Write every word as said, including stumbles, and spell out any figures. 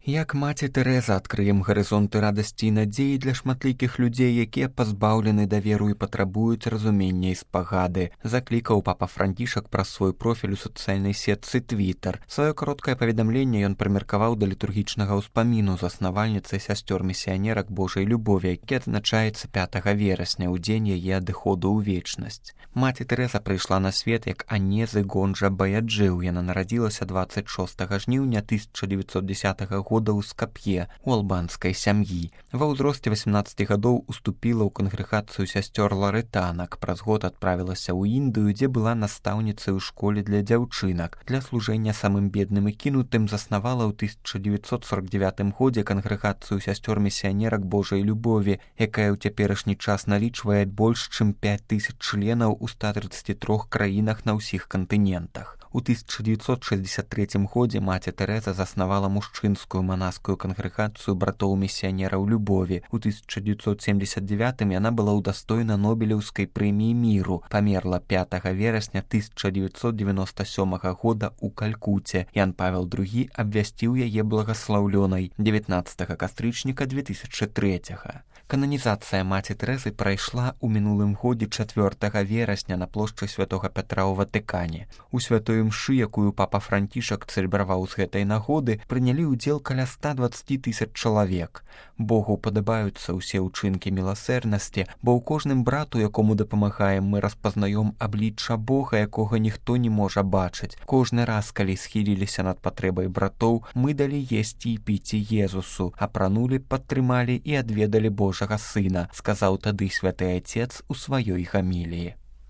Як маці Тэрэза адкрыем гарызонты радасці і надзеі для шматлікіх людзей, якія пазбаўлены даверу і патрабуюць разумення і спагады, заклікаў папа Францішак праз свой профіль у сацыяльнай сетцы Твітар. Сваё кароткае паведамленне ён прымеркаваў да літургічнага ўспаміну заснавальніцы сясцёр місіянерак Божай любові, які адзначаецца пятага верасня, у дзень яе адыходу ў вечнасць. Маці Тэрэза прыйшла на свет як Анезы Гонджа Баяджыў. Яна нарадзілася дваццаць шостага жніўня тысяча дзевяцьсот дзесятага года ў Скап'е, у албанскай сям'і. Ва ўзросце васемнаццаці гадоў уступіла ў кангрэгацыю сясцёр ларытанак. Праз год адправілася ў Індыю, дзе была настаўніцай у школе для дзяўчынак. Для служэння самым бедным і кінутым заснавала ў тысяча дзевяцьсот сорок дзевятым годзе кангрэгацыю сясцёр місіянерак Божай любові, якая ў цяперашні час налічвае больш чым пяць тысяч членаў у ста трыццаці трох краінах на ўсіх кантынентах. У тысяча дзевяцьсот шэсцьдзесят трэцім годзе маці Тэрэза заснавала мужчынскую манаскую кангрэгацыю братоў місіянераў любові. У тысяча дзевяцьсот семдзесят дзевятым яна была ўдастоена Нобелеўскай прэміі міру. Памерла пятага верасня тысяча дзевяцьсот дзевяноста сёмага года ў Калькуце. Ян Павел другі абвясціў яе благаслаўлёнай дзевятнаццатага кастрычніка две тысячы трэцяга. Кананізацыя маці Тэрэзы прайшла ў мінулым годзе чацвёртага верасня на плошчы святога Пятра ў Ватыкане. У святой імшы, якую папа Францішак цэлебраваў з гэтай нагоды, прынялі ўдзел каля ста дваццаць тысяч чалавек. Богу падабаюцца ўсе ўчынкі міласэрнасці, бо ў кожным брату, якому дапамагаем, мы распазнаём аблічча Бога, якога ніхто не можа бачыць. Кожны раз, калі схіліліся над патрэбай братоў, мы далі есці і піць Езусу, апранулі, падтрымалі і адведалі Божага Сына, сказаў тады святы Отец у сваёй гаміліі.